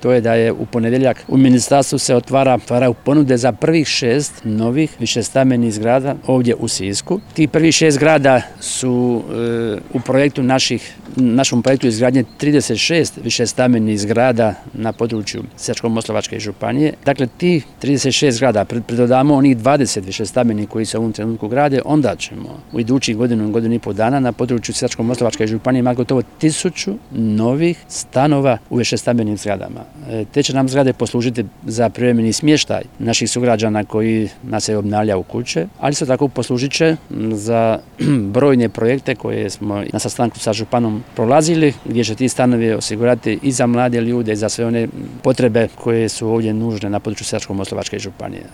to je da je u ponedjeljak u ministarstvu se otvaraju ponude za prvih 6 novih višestambenih zgrada ovdje u Sisku. Ti prvih 6 zgrada su u našom projektu izgradnje 36 višestambenih zgrada na području Sisačko-moslavačke županije. Dakle, ti 36 zgrada pridodamo onih 20 višestambenih koji se u ovom trenutku grade, onda ćemo u idućih godinu i pol dana na području Sisačko-moslavačke županije imati gotovo 1000 novih stanova u višestambenim zgradama. Te će nam zgrade poslužiti za privremeni smještaj naših sugrađana koji nas se obnavljaju kuće, ali isto tako poslužit će za brojne projekte koje smo na sastanku sa županom prolazili, gdje će ti stanovi osigurati i za mlade ljude i za sve one potrebe koje su ovdje nužne na području Sisačko-moslavačke županije.